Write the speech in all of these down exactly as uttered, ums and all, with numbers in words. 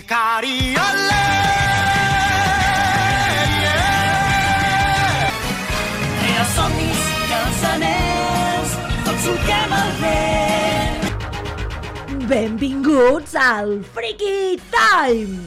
Ikari, olé! I els somnis i els anells, tots solquem el vent. Benvinguts al Freaky Time!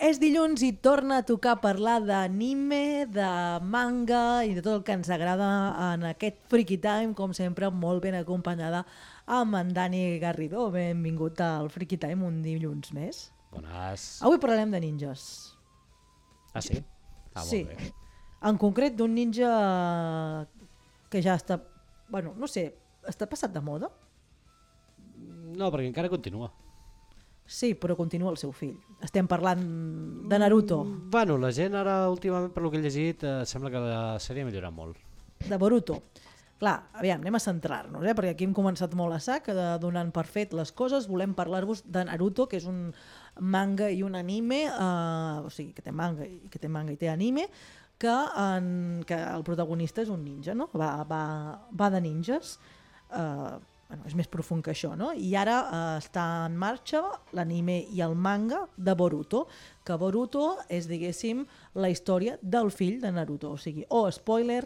És dilluns i torna a tocar parlar d'anime, de manga i de tot el que ens agrada en aquest Freaky Time, com sempre, molt ben acompanyada amb en Dani Garrido. Benvingut al Freaky Time un dilluns més. Bones. Avui parlarem de ninjas. Ah, sí? Ah, sí. molt bé. En concret d'un ninja que ja està... Bueno, no sé, està passat de moda? No, perquè encara continua. Sí, però continua el seu fill. Estem parlant de Naruto. Mm, bueno, la gent ara, últimament, per lo que he llegit, eh, sembla que la sèrie ha millorat molt. De Boruto. Clar, aviam, anem a centrar-nos, eh? Perquè aquí hem començat molt a sac, de, donant per fet les coses. Volem parlar-vos de Naruto, que és un manga i un anime, eh, o sigui, que té manga i que té manga i té anime, que, en, que el protagonista és un ninja, no? Va, va, va de ninjas, eh, bueno, és més profund que això, no? I ara eh, està en marxa l'anime i el manga de Boruto, que Boruto és, diguéssim, la història del fill de Naruto. O sigui, oh, spoiler,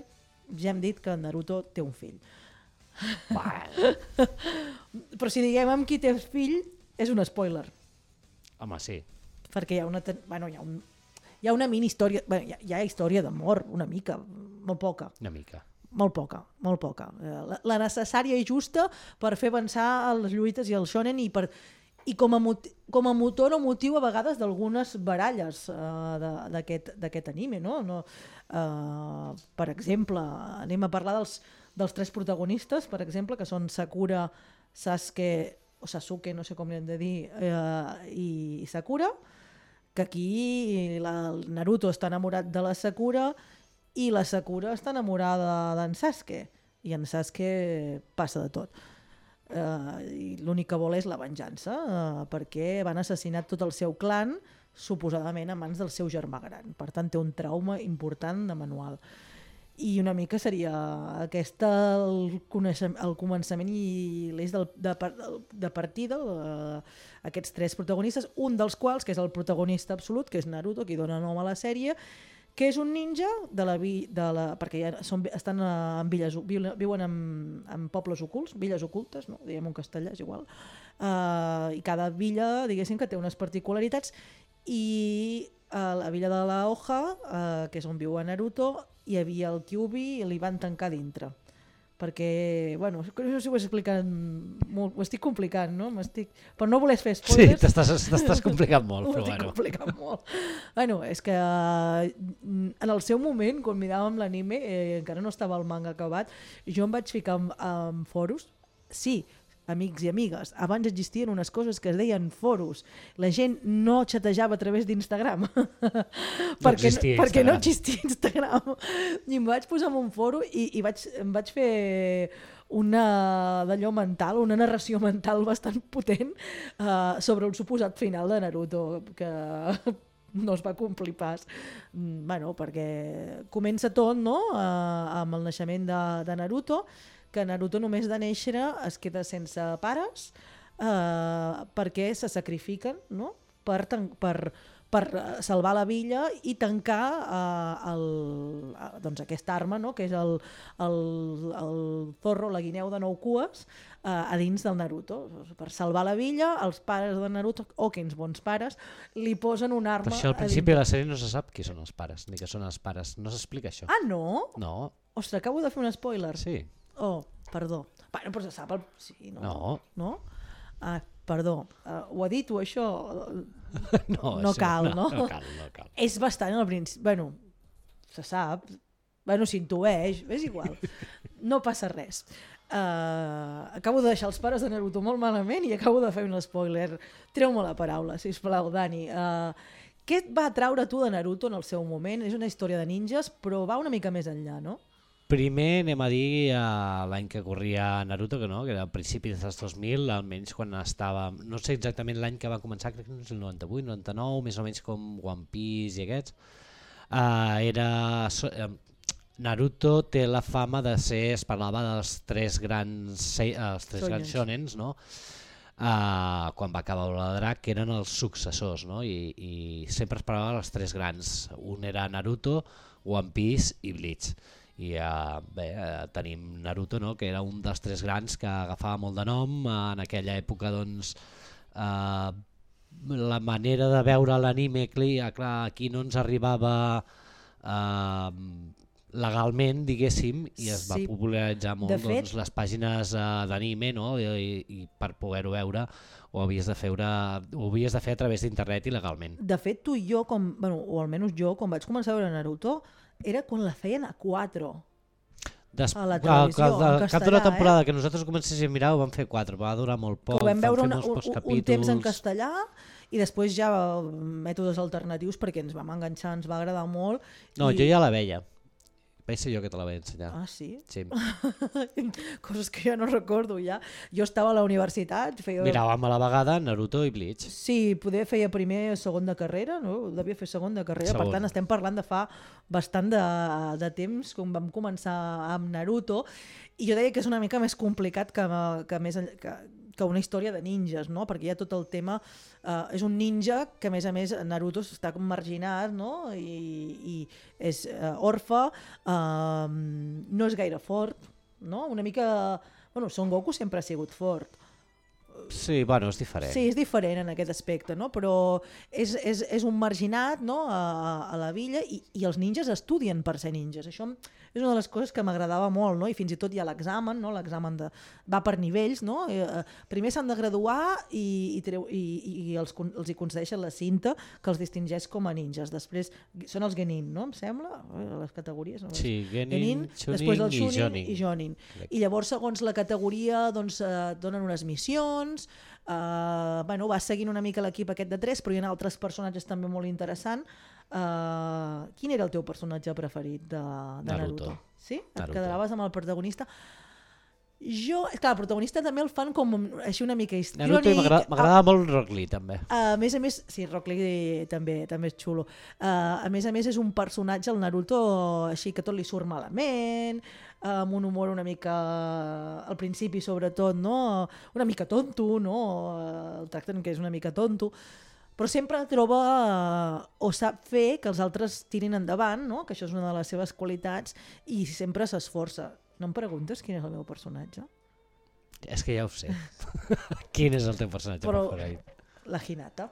ja hem dit que Naruto té un fill. Però si diguem amb qui té fill, és un spoiler. Home, sí. Perquè hi ha una, bueno, hi ha un, hi ha una mini història, bueno, hi ha, hi ha història d'amor, una mica, molt poca. Una mica. Molt poca, molt poca. La, la necessària i justa per fer avançar les lluites i el shonen i, per, i com, a mot, com a motor o motiu a vegades d'algunes baralles uh, d'aquest anime. No? No, uh, per exemple, anem a parlar dels, dels tres protagonistes, per exemple, que són Sakura, Sasuke, o Sasuke, no sé com hem de dir, uh, i Sakura, que aquí la, el Naruto està enamorat de la Sakura i la Sakura està enamorada d'en Sasuke, i en Sasuke passa de tot. Uh, i l'únic que vol és la venjança, uh, perquè van assassinar tot el seu clan, suposadament a mans del seu germà gran. Per tant, té un trauma important de manual. I una mica seria aquesta el, el començament i l'eix del, de, de partida, uh, aquests tres protagonistes, un dels quals, que és el protagonista absolut, que és Naruto, qui dona nom a la sèrie, que és un ninja de la, vi, de la perquè ja són, estan en villes, viuen en, en pobles ocults, villes ocultes, no? Diguem en castellà, és igual, uh, i cada villa, diguéssim, que té unes particularitats, i a la villa de la Hoja, uh, que és on viu Naruto, hi havia el Kyuubi i li van tancar dintre. Perquè, bueno, no sé si ho explicat molt, ho estic complicant, no? Per no voler fer spoilers... Sí, t'estàs complicant molt, però bueno. Ho estic bueno. complicant molt. Bueno, és que en el seu moment, quan miràvem l'anime, eh, encara no estava el manga acabat, jo em vaig ficar en, en foros, sí, amics i amigues, abans existien unes coses que es deien foros. La gent no xatejava a través d'Instagram. No perquè, existia perquè Instagram. no existia Instagram. I em vaig posar en un foro i, i vaig, em vaig fer una d'allò mental, una narració mental bastant potent uh, sobre el suposat final de Naruto, que no es va complir pas. Bueno, perquè comença tot, no?, uh, amb el naixement de, de Naruto, que Naruto només de néixer es queda sense pares eh, perquè se sacrifiquen, no? per, per, per salvar la villa i tancar eh, el, doncs aquesta arma, no? Que és el, el, el zorro, la guineu de nou cues, eh, a dins del Naruto. Per salvar la villa, els pares de Naruto, oh, quins bons pares, li posen una arma... Per això al principi de la sèrie no se sap qui són els pares, ni que són els pares. No s'explica això. Ah, no? No. Ostres, acabo de fer un spoiler. Sí. Oh, perdó. Bueno, però se sap el... Sí, no. No. No? Ah, perdó. Uh, ho ha dit o això? No, no sí, cal, no? No cal, no cal. És bastant al principi... Bueno, se sap. Bueno, s'intueix. És igual. No passa res. Uh, acabo de deixar els pares de Naruto molt malament i acabo de fer un spoiler. Treu-me la paraula, sisplau, Dani. Uh, què et va atraure tu de Naruto en el seu moment? És una història de ninjas, però va una mica més enllà, no? Primer anem a dir uh, l'any que corria Naruto, que no, que era a principis dels dos mil, almenys quan estava, no sé exactament l'any que va començar, crec que no és el noranta-vuit, noranta-nou, més o menys com One Piece i aquests. Uh, era, uh, Naruto té la fama de ser, es parlava dels tres grans, se- els tres grans shonens, no? Uh, quan va acabar la Drac, que eren els successors, no? I, i sempre es parlava dels tres grans. Un era Naruto, One Piece i Bleach. I uh, bé, uh, tenim Naruto, no? Que era un dels tres grans que agafava molt de nom. Uh, en aquella època, doncs, uh, la manera de veure l'anime, clar, aquí no ens arribava uh, legalment, diguéssim, i es va Sí. popularitzar molt De fet- doncs, les pàgines uh, d'anime, no? I, i per poder-ho veure ho havies de fer, ho havies de fer a través d'internet i legalment. De fet, tu i jo, com, bueno, o almenys jo, quan vaig començar a veure Naruto, era quan la feien a quatre. Des... A la al- televisió, al- en al cap d'una castellà, temporada eh? que nosaltres comencéssim a mirar ho vam fer quatre, va durar molt poc, Que ho vam veure fer una, molts un, pocs un capítols. temps en castellà i després ja eh, mètodes alternatius perquè ens vam enganxar, ens va agradar molt. No, i... jo ja la veia. Vaig ser jo que te la vaig ensenyar. Ah, sí? Sí. Coses que jo no recordo ja. Jo estava a la universitat, feia... Miràvem a la vegada Naruto i Bleach. Sí, poder feia primer segon de carrera, no? Devia fer segon de carrera, Segon. per tant estem parlant de fa bastant de, de temps, quan vam començar amb Naruto, i jo deia que és una mica més complicat que, que, més, enll- que, que una història de ninjas, no? Perquè hi ha tot el tema, eh, és un ninja que a més a més Naruto està com marginat, no? I, i és eh, orfe, eh, no és gaire fort, no? Una mica... Bueno, Son Goku sempre ha sigut fort. Sí, bueno, és diferent. Sí, és diferent en aquest aspecte, no? Però és, és, és un marginat, no? a, a la villa i, i els ninjas estudien per ser ninjas. Això és una de les coses que m'agradava molt, no? I fins i tot hi ha l'examen, no? L'examen de... va per nivells, no? Eh, eh, primer s'han de graduar i, i, treu, i, i els, con- els hi concedeixen la cinta que els distingeix com a ninjas. Després són els genin, no? Em sembla, eh, les categories. No? Sí, Genin, Genin, Chunin després el i Chunin Jonin. i Jonin. Correcte. I llavors, segons la categoria, doncs, eh, donen unes missions, eh, bueno, vas seguint una mica l'equip aquest de tres, però hi ha altres personatges també molt interessants. Eh, quin era el teu personatge preferit de, de Naruto? Naruto. Sí? Et Naruto. quedaves amb el protagonista? Jo, és clar, el protagonista també el fan com un- així una mica histriònic. Naruto i m'agrada m'agrada molt Rock Lee, també. A més a més, sí, Rock Lee també, també és xulo. Uh, a més a més és un personatge, el Naruto, així que tot li surt malament, uh, amb un humor una mica, al principi sobretot, no? Una mica tonto, no? Uh, el tracten que és una mica tonto, però sempre troba uh, o sap fer que els altres tirin endavant, no? Que això és una de les seves qualitats, i sempre s'esforça. No em preguntes quin és el meu personatge? És que ja ho sé. Quin és el teu personatge Però- preferit? La Hinata.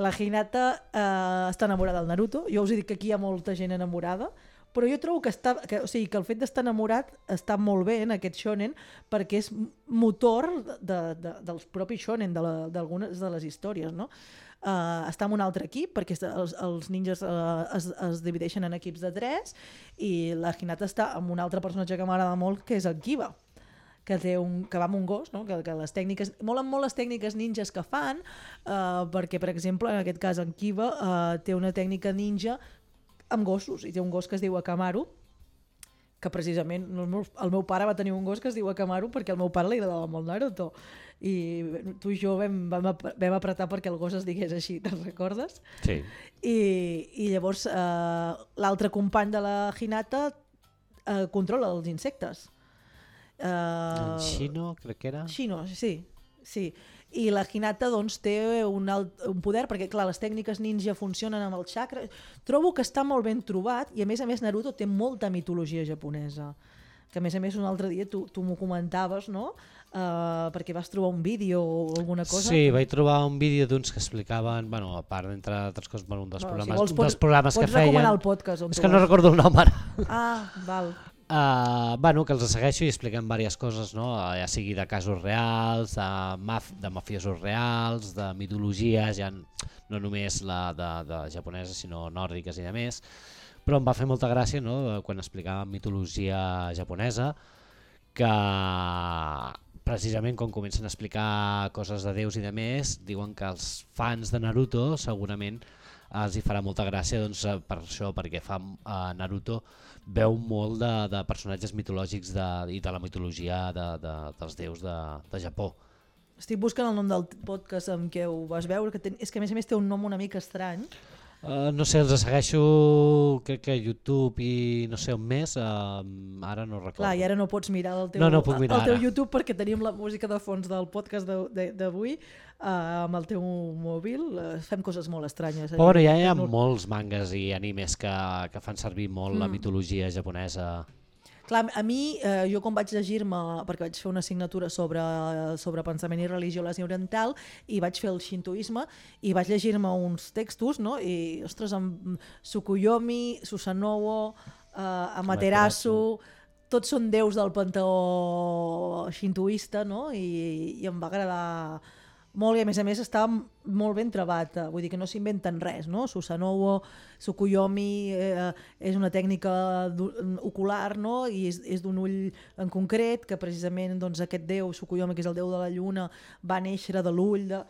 La Hinata eh, està enamorada del Naruto. Jo us he dit que aquí hi ha molta gent enamorada, però jo trobo que, està, que, o sigui, que el fet d'estar enamorat està molt bé en aquest shonen perquè és motor de, de, dels propis shonen, d'algunes de, de les històries, no? Uh, està en un altre equip perquè els, els ninjas uh, es, es divideixen en equips de tres i la Hinata està amb un altre personatge que m'agrada molt, que és el Kiba, que, té un, que va amb un gos, no? que, que les tècniques, molen molt les tècniques ninjas que fan, uh, perquè per exemple en aquest cas en Kiba uh, té una tècnica ninja amb gossos, i té un gos que es diu Akamaru, que precisament el meu, el meu pare va tenir un gos que es diu Akamaru perquè al meu pare li agradava molt Naruto, i tu i jo vam, vam, ap- vam apretar perquè el gos es digués així, te'n recordes? Sí. I, i llavors eh, l'altre company de la Hinata eh, controla els insectes. Eh, En Shino, crec que era. Shino, sí, sí. I la Hinata doncs, té un, alt, un poder, perquè clar, les tècniques ninja funcionen amb el chakra. Trobo que està molt ben trobat i a més a més Naruto té molta mitologia japonesa. Que a més a més un altre dia tu, tu m'ho comentaves, no? Uh, perquè vas trobar un vídeo o alguna cosa. Sí, vaig trobar un vídeo d'uns que explicaven, bueno, a part d'entre altres coses, bueno, un dels Bueno, programes, si vols, un dels programes que pots recomanar feien. el podcast. On És tu que no vas. recordo el nom ara. Ah, val. Uh, bueno, que els segueixo i expliquen diverses coses, no? Ja sigui de casos reals, de, maf de mafiosos reals, de mitologies, ja no només la de, de japoneses, sinó nòrdiques i de més. Però em va fer molta gràcia, no?, quan explicaven mitologia japonesa, que precisament quan comencen a explicar coses de déus i de més, diuen que els fans de Naruto segurament els hi farà molta gràcia, doncs, per això, perquè fa uh, Naruto veu molt de, de personatges mitològics de, i de la mitologia de, de, dels déus de, de Japó. Estic buscant el nom del podcast amb què ho vas veure, que ten, és que a més a més té un nom una mica estrany. Uh, no sé, els segueixo, crec que a YouTube i no sé on més, uh, ara no recordo. Clar, i ara no pots mirar el teu, no, no puc mirar el teu ara. YouTube perquè tenim la música de fons del podcast d'avui uh, amb el teu mòbil. Uh, fem coses molt estranyes. Però bueno, ja hi ha molts mangas i animes que, que fan servir molt mm. la mitologia japonesa. Clar, a mi, eh, jo quan vaig llegir-me, perquè vaig fer una assignatura sobre, sobre pensament i religió a l'Àsia Oriental, i vaig fer el xintoisme, i vaig llegir-me uns textos, no? I, ostres, amb Tsukuyomi, Susanoo, eh, Amaterasu, tots són déus del panteó xintoista, no? I, i em va agradar molt, i a més a més està molt ben trebat, vull dir que no s'inventen res, no? Susanoo, Tsukuyomi eh, és una tècnica ocular, no? I és, és d'un ull en concret, que precisament doncs, aquest déu, Tsukuyomi, que és el déu de la lluna, va néixer de l'ull de,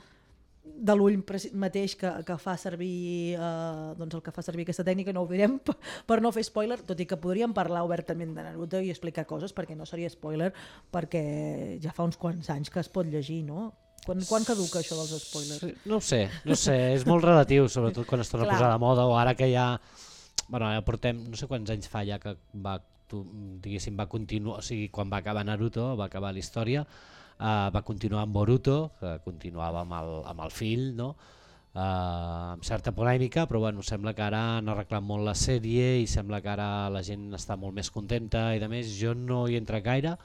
de l'ull mateix que, que fa servir eh, doncs el que fa servir aquesta tècnica. No ho direm per, per no fer spoiler, tot i que podríem parlar obertament de Naruto i explicar coses, perquè no seria spoiler, perquè ja fa uns quants anys que es pot llegir, no? Quan, quan caduca això dels spoilers? Sí, no ho sé, no ho sé, és molt relatiu, sobretot quan es torna a posar de moda, o ara que ja, bueno, ja portem, no sé quants anys fa ja que va, tu, diguéssim, va continuar, o sigui, quan va acabar Naruto, va acabar la història, uh, va continuar amb Boruto, que continuava amb el, amb el fill, no? Uh, amb certa polèmica, però bueno, sembla que ara han arreglat molt la sèrie i sembla que ara la gent està molt més contenta i de més, jo no hi entra gaire,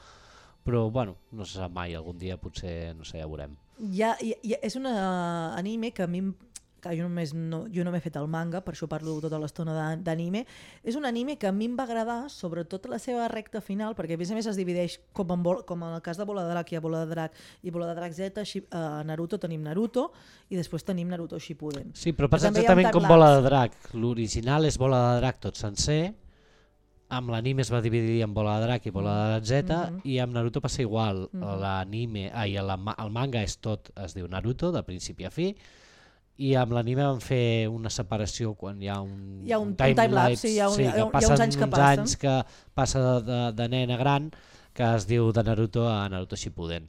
però bueno, no se sap mai, algun dia potser, no sé, ja veurem. Ja, ja, ja, és un uh, anime que a mi, que jo només no, jo no m'he fet el manga, per això parlo tota l'estona d'anime, és un anime que a mi em va agradar, sobretot la seva recta final, perquè a més a més es divideix, com en, com en el cas de Bola de Drac, hi ha Bola de Drac i Bola de Drac Z, a Naruto tenim Naruto, i després tenim Naruto Shippuden. Sí, però passa exactament com Bola de Drac, l'original és Bola de Drac tot sencer, amb l'anime es va dividir en Bola de Drac i Bola de Drac Z, mm-hmm. i amb Naruto passa igual, mm-hmm. l'anime, ai, el, el manga és tot, es diu Naruto, de principi a fi, i amb l'anime van fer una separació quan hi ha un, hi ha un, un time-lapse, time sí, hi ha, un, sí, hi ha, hi ha uns anys que uns passen. anys que passa de, de, de nen a gran, que es diu de Naruto a Naruto Shippuden.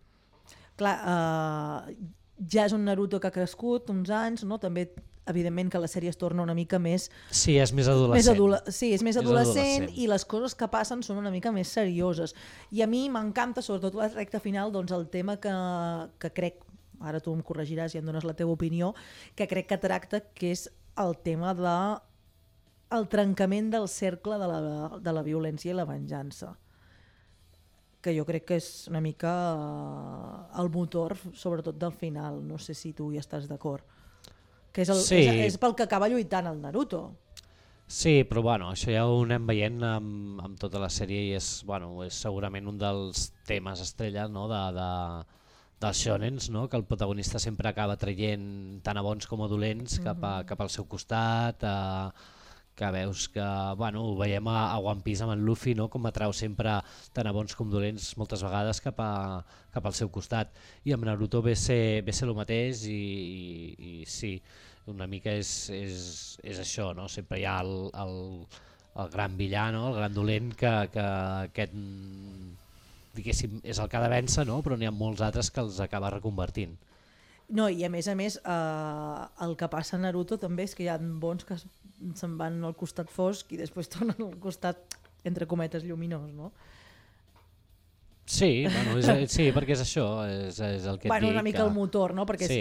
Clar, uh, ja és un Naruto que ha crescut uns anys, no? També evidentment que la sèrie es torna una mica més... Sí, és més adolescent. Més adole sí, és més adolescent, és adolescent i les coses que passen són una mica més serioses. I a mi m'encanta, sobretot la recta final, doncs el tema que, que crec, ara tu em corregiràs i em dones la teva opinió, que crec que tracta, que és el tema de el trencament del cercle de la, de la violència i la venjança. Que jo crec que és una mica el motor, sobretot del final. No sé si tu hi estàs d'acord. Que és, el, sí. és, és pel que acaba lluitant el Naruto. Sí, però bueno, això ja ho anem veient amb, amb tota la sèrie i és, bueno, és segurament un dels temes estrella, no? de, de, dels shonens, no? Que el protagonista sempre acaba traient tant a bons com a dolents mm-hmm. cap, a, cap al seu costat, a, que veus que, bueno, ho veiem a, a One Piece amb en Luffy, no? Com atrau sempre tant a bons com dolents moltes vegades cap, a, cap al seu costat, i amb Naruto ve ser, ve ser el mateix i, i, i sí, una mica és, és, és això, no? Sempre hi ha el, el, el gran villà, no? El gran dolent que, que aquest, diguéssim, és el que ha de vèncer, no? Però n'hi ha molts altres que els acaba reconvertint. No, i a més a més eh, el que passa a Naruto també és que hi ha bons que se'n van al costat fosc i després tornen al costat, entre cometes, lluminós, no? Sí, bueno, és, sí, perquè és això, és, és el que et bueno, dic. Una mica que... el motor, no? Perquè sí.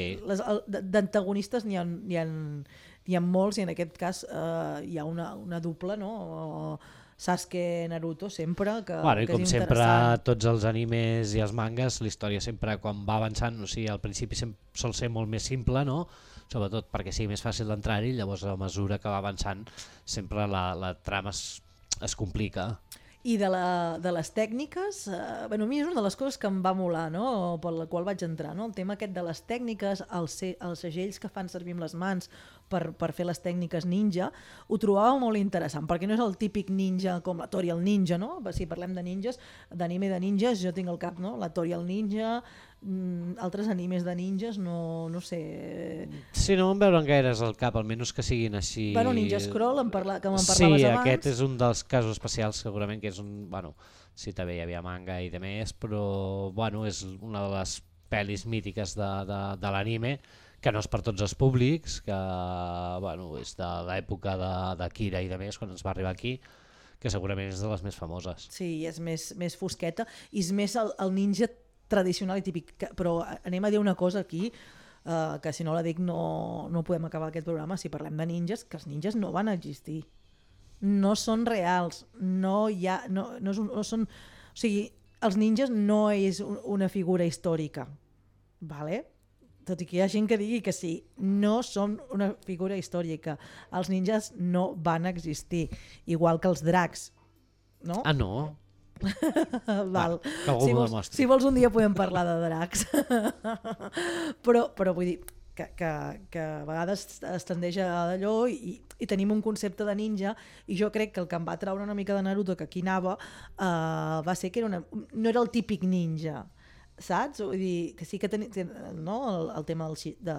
d'antagonistes n'hi ha, n'hi ha, n'hi ha molts i en aquest cas eh, hi ha una, una dupla, no? Sasuke, Naruto, sempre, que, bueno, i que com és sempre, interessant. tots els animes i els mangas, la història sempre quan va avançant, o sigui, al principi sol ser molt més simple, no? Sobretot perquè sigui més fàcil d'entrar-hi, llavors a mesura que va avançant sempre la, la trama es, es complica. I de, la, de les tècniques, eh, bueno, a mi és una de les coses que em va molar, no? Per la qual vaig entrar, no? El tema aquest de les tècniques, els, els segells que fan servir amb les mans per, per fer les tècniques ninja, ho trobava molt interessant, perquè no és el típic ninja com la Tori el ninja, no? Si parlem de ninjas, d'anime de ninjas, jo tinc al cap, no? La Tori el ninja, mm, altres animes de ninjas, no, no sé... Sí, no em veuran gaires al cap, almenys que siguin així... Bueno, Ninja Scroll, em parla, que me'n sí, parlaves abans. Sí, aquest és un dels casos especials, segurament, que és un... Bueno, sí, també hi havia manga i de més, però bueno, és una de les pel·lis mítiques de, de, de l'anime, que no és per tots els públics, que bueno, és de l'època de, de Kira i de més, quan ens va arribar aquí, que segurament és de les més famoses. Sí, és més, més fosqueta i és més el, el ninja tradicional i típic. Que, però anem a dir una cosa aquí, uh, que si no la dic no, no podem acabar aquest programa. Si parlem de ninjas, que els ninjas no van existir. No són reals. No hi ha... No, no, és un, no són, o sigui, els ninjas no és un, una figura històrica. Vale? Tot i que hi ha gent que digui que sí, no són una figura històrica. Els ninjas no van existir, igual que els dracs, no? Ah, no? Val. Va, si, vols, si vols un dia podem parlar de dracs. però, però vull dir que, que, que a vegades es tendeix a d'allò i, i tenim un concepte de ninja i jo crec que el que em va traure una mica de Naruto, que aquí anava, uh, va ser que era una, no era el típic ninja, saps? Vull dir, que sí que ten, ten, no? el, el tema del, de,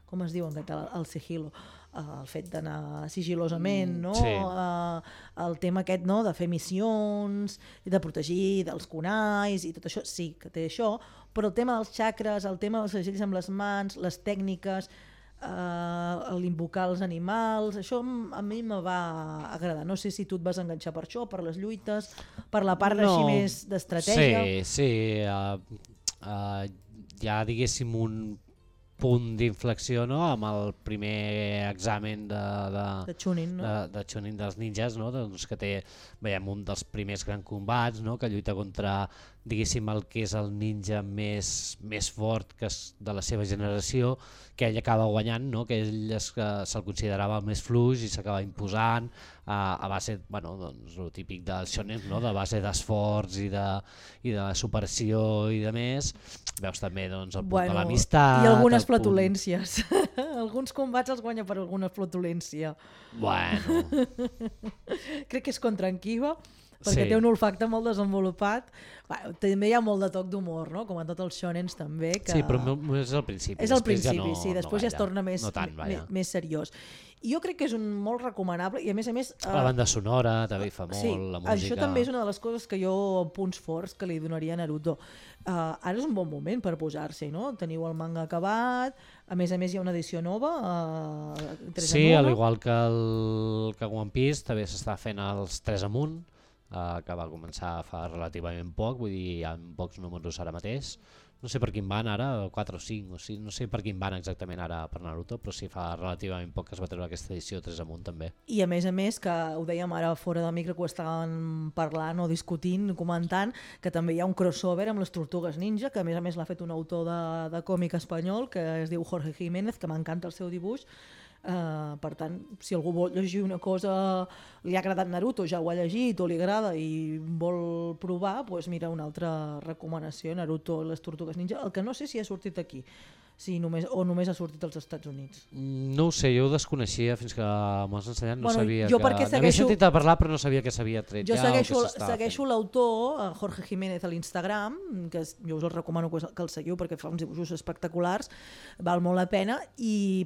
com es diu en català, el sigilo, uh, el fet d'anar sigilosament, no? Sí. Uh, el tema aquest, no? De fer missions, de protegir dels kunais i tot això, sí que té això, però el tema dels xacres, el tema dels segells amb les mans, les tècniques, uh, l'invocar els animals, això a mi me va agradar. No sé si tu et vas enganxar per això, per les lluites, per la part no. així més d'estratègia. Sí, sí. Uh, uh, ja diguéssim un punt d'inflexió, no? Amb el primer examen de, de, de Chunin, no? de, de Chunin dels ninjas, no? Doncs que té, veiem, un dels primers grans combats, no? Que lluita contra, diguéssim, el que és el ninja més, més fort que és de la seva generació, que ell acaba guanyant, no? Que ell es, que se'l considerava el més fluix i s'acaba imposant a, a base, bueno, doncs, el típic del shonen, no? De base d'esforç i, de, i de superació i de més. Veus també doncs, el punt bueno, de l'amistat. I algunes flatulències. Punt... Alguns combats els guanya per alguna flatulència. Bueno. Crec que és contra en Kiba, perquè sí. té un olfacte molt desenvolupat. Bueno, també hi ha molt de toc d'humor, no? Com a tots els shonens també. Que... Sí, però és al principi. És al principi, ja no, sí. Després no ja es torna més, no tant, més, més seriós. I jo crec que és un molt recomanable i a més a més... La banda sonora també fa molt, sí, la música... Això també és una de les coses que jo, punts forts que li donaria a Naruto. Uh, ara és un bon moment per posar-s'hi, no? Teniu el manga acabat, a més a més hi ha una edició nova. Uh, sí, al igual que, el, que One Piece també s'està fent els tres amunt, uh, que va començar fa relativament poc, vull dir, hi ha pocs números ara mateix. No sé per quin van ara, quatre o cinc, o cinc, no sé per quin van exactament ara per Naruto, però sí fa relativament poc que es va treure aquesta edició tres amunt també. I a més a més, que ho dèiem ara fora de micro, que ho estaven parlant o discutint, comentant, que també hi ha un crossover amb les Tortugues Ninja, que a més a més l'ha fet un autor de, de còmic espanyol, que es diu Jorge Jiménez, que m'encanta el seu dibuix. Uh, per tant, si algú vol llegir una cosa, li ha agradat Naruto, ja ho ha llegit o li agrada i vol provar, doncs mira, una altra recomanació, Naruto i les Tortugues Ninja, el que no sé si ha sortit aquí, si només, o només ha sortit als Estats Units. No ho sé, jo ho desconeixia fins que m'ho has ensenyat, no bueno, sabia jo que... Segueixo... N'havia sentit a parlar però no sabia que s'havia tret jo ja segueixo, o que s'estava segueixo l'autor, Jorge Jiménez, a l'Instagram, que jo us el recomano que el seguiu perquè fa uns dibuixos espectaculars, val molt la pena i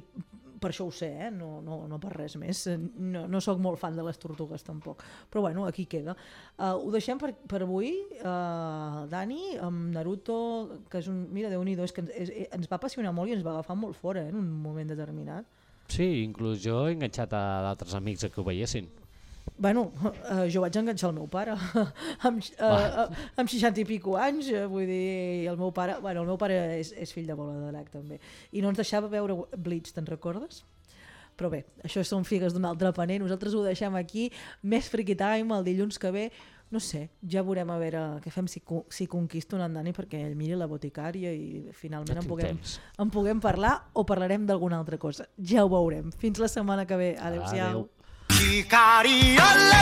per això ho sé, eh? no, no, no per res més. No, no sóc molt fan de les tortugues tampoc. Però bueno, aquí queda. Uh, ho deixem per, per avui, uh, Dani, amb Naruto, que és un... Mira, Déu-n'hi-do, és que ens, és, ens va apassionar molt i ens va agafar molt fora eh, en un moment determinat. Sí, inclús jo he enganxat a d'altres amics a que ho veiessin. Bueno, uh, jo vaig enganxar el meu pare amb, uh, uh, amb seixanta i pico anys, uh, vull dir, el meu pare, bueno, el meu pare és, és fill de bola de drac també, i no ens deixava veure Bleach, te'n recordes? Però bé, això són figues d'un altre paner, nosaltres ho deixem aquí, més Freaky Time el dilluns que ve, no sé, ja veurem a veure què fem si, si conquisto en Dani perquè ell miri la boticària i finalment en puguem, en puguem parlar o parlarem d'alguna altra cosa, ja ho veurem. Fins la setmana que ve, adeu-siau. Adeu. Hikari ole,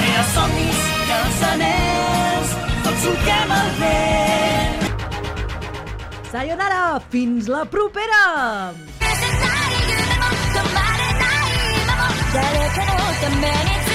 era somnis i els anells, tots solquem el vent. Sayonara, fins la propera! 誰かのために